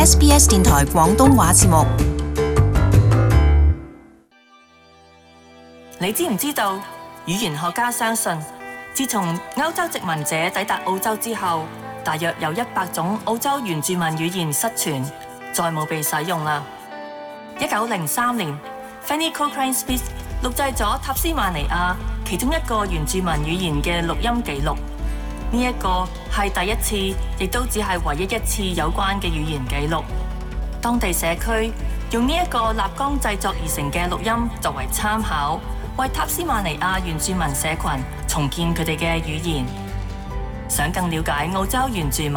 SBS 電台廣東話節目。你知唔知道？語言學家相信，自從歐洲殖民者抵達澳洲之後，大約有100種澳洲原住民語言失傳，再冇被使用啦。1903年 Fanny Cochrane Smith 錄製咗塔斯馬尼亞其中一個原住民語言嘅錄音記錄，呢一個係第一次，亦都只係唯一一次有關嘅語言記錄。當地社區用呢一個立綱製作而成嘅錄音作為參考，為塔斯馬尼亞原住民社群重建佢哋嘅語言。想更了解澳洲原住民，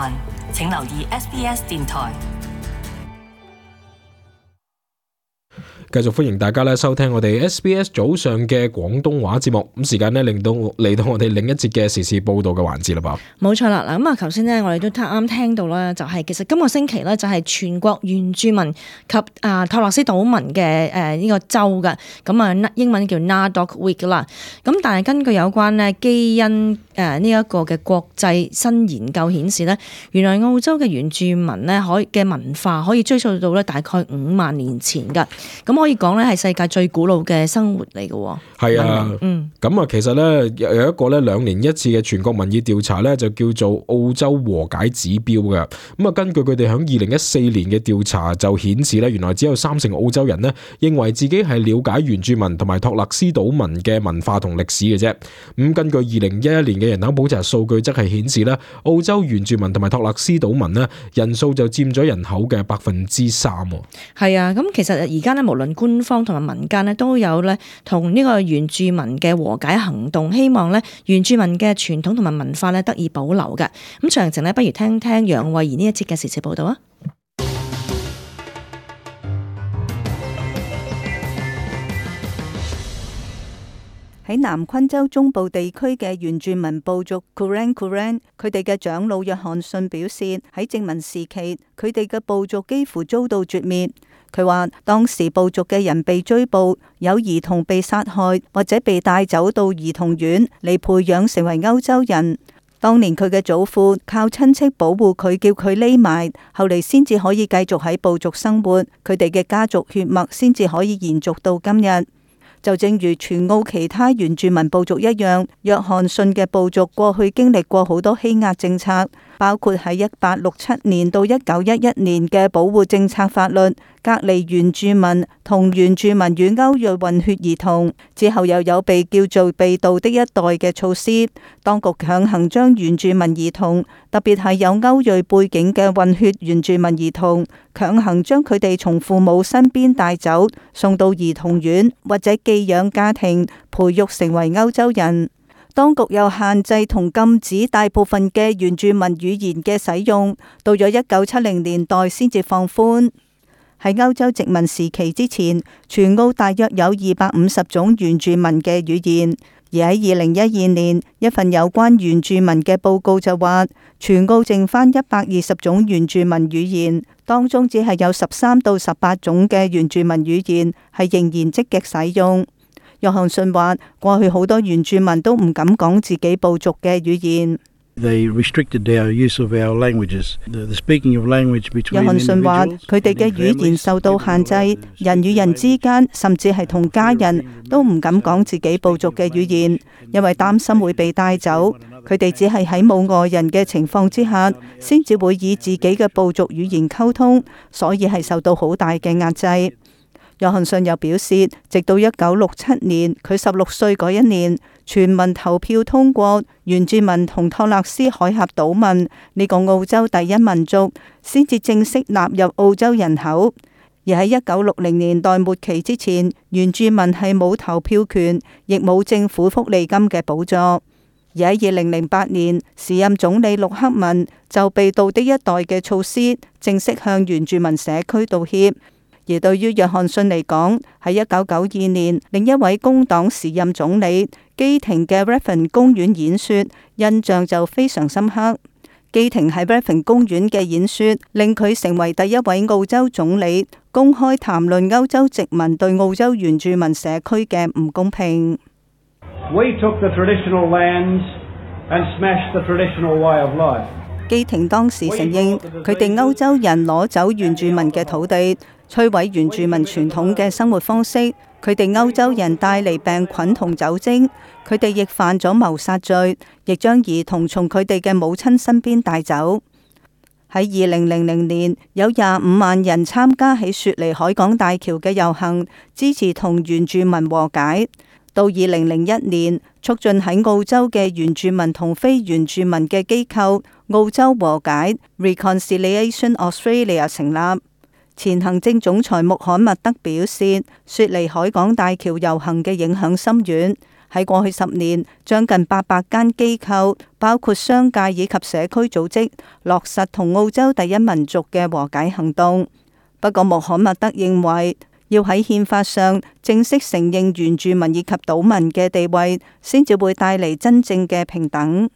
請留意 SBS 電台。繼續歡迎大家咧收聽我哋 SBS 早上嘅廣東話節目。咁時間咧嚟到我哋另一節嘅時事報道嘅環節啦噃。冇錯啦，嗱咁啊，頭先咧我哋都啱聽到啦，就係其實今個星期咧就係全國原住民及托勒斯島民嘅呢個週嘅，咁啊英文叫 NAIDOC Week 啦。咁但係根據有關咧基因呢一個嘅國際新研究顯示咧，原來澳洲嘅原住民咧嘅文化可以追溯到咧大概5萬年前㗎。咁可以講咧係世界最古老嘅生活嚟嘅。係啊，咁啊其實咧有一個咧2年一次嘅全國民意調查咧就叫做澳洲和解指標嘅。咁啊根據佢哋喺2014年嘅調查就顯示咧，原來只有30%澳洲人呢認為自己係了解原住民同埋托勒斯島民嘅文化同歷史嘅啫。咁根據2011年嘅人口普查數據則係顯示咧，澳洲原住民同埋托勒斯島民呢人數就佔咗人口嘅3%。係啊，咁其實而家咧無論官方同埋民間咧都有咧同呢個原住民嘅和解行動，希望咧原住民嘅傳統同埋文化咧得以保留嘅。咁詳情咧，不如聽聽楊慧儀呢一節嘅時事報道啊。喺南昆州中部地區嘅原住民部族 Kooran， 佢哋嘅長老約翰遜表示，喺殖民時期，佢哋嘅部族幾乎遭到絕滅。佢話當時部族嘅人被追捕，有兒童被殺害或者被帶走到兒童院嚟培養成為歐洲人。當年佢嘅祖父靠親戚保護佢，叫佢匿埋，後嚟先至可以繼續喺部族生活，佢哋嘅家族血脈先至可以延續到今日。就正如全澳其他原住民部族一樣，約翰遜嘅部族過去經歷過好多欺壓政策，包括喺1867年到1911年嘅保護政策法律，隔離原住民同原住民與歐裔混血兒童，之後又有被叫做被盜的一代嘅措施，當局強行將原住民兒童，特別係有歐裔背景嘅混血原住民兒童，強行將佢哋從父母身邊帶走，送到兒童院或者寄養家庭，培育成為歐洲人。當局又限制同禁止大部分嘅原住民語言嘅使用，到咗1970年代先至放寬。喺歐洲殖民時期之前，全澳大約有250種原住民嘅語言，而喺2012年，一份有關原住民嘅報告就話，全澳剩返120種原住民語言，當中只係有13到18種嘅原住民語言係仍然積極使用。約翰遜話，過去好多原住民都唔敢講自己部族嘅語言。They restricted our use of our languages. The speaking of language between 約翰遜話，佢哋嘅語言受到限制，人與人之間，甚至係同家人都唔敢講自己部族嘅語言，因為擔心會被帶走。佢哋只係喺冇外人嘅情況之下，先至會以自己嘅部族語言溝通，所以係受到好大嘅壓制。約翰遜又表示，直到1967年，佢16歲嗰一年，全民投票通過原住民同托勒斯海峽島民呢個澳洲第一民族，先至正式納入澳洲人口。而喺1960年代末期之前，原住民係冇投票權，亦冇政府福利金嘅補助。而喺2008年，時任總理陸克文就被盜的一代嘅措施，正式向原住民社區道歉。而對於約翰遜嚟講，喺1992年，另一位工黨時任總理基廷嘅 Redfern 公園演說，印象就非常深刻。基廷喺 Redfern 公園嘅演說，令佢成為第一位澳洲總理公開談論歐洲殖民對澳洲原住民社區嘅唔公平。We took the traditional lands and smashed the traditional way of life. 基廷當時承認佢哋歐洲人攞走原住民嘅土地，摧毀原住民傳統嘅生活方式。佢哋歐洲人帶嚟病菌同酒精，佢哋亦犯咗謀殺罪，亦將兒童從佢哋嘅母親身邊帶走。喺2000年，有25萬人參加喺雪梨海港大橋嘅遊行，支持同原住民和解。到2001年，促進喺澳洲嘅原住民同非原住民嘅機構澳洲和解 Reconciliation Australia 成立。前行政總裁穆罕默德表示，雪梨海港大橋遊行嘅影響深遠。喺過去10年，將近800間機構，包括商界以及社區組織，落實同澳洲第一民族嘅和解行動。不過，穆罕默德認為，要喺憲法上正式承認原住民以及島民嘅地位，先至會帶嚟真正嘅平等。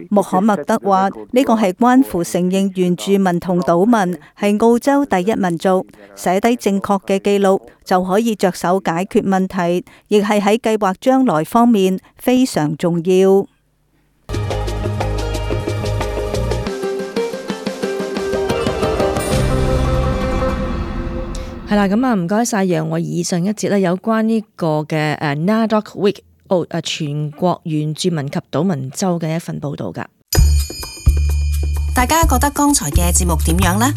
穆罕默德話：呢個係關乎承認原住民同島民係澳洲第一民族，寫低正確嘅記錄就可以着手解決問題，亦係喺計劃將來方面非常重要。係啦，咁啊，唔該晒楊慧儀。上一節咧有關呢個嘅NAIDOC Week 全國原住民及島民週嘅一份報導㗎。大家覺得剛才嘅節目點樣呢？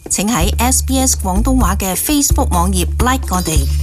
請喺SBS 廣東話嘅 Facebook 網頁 like 我哋。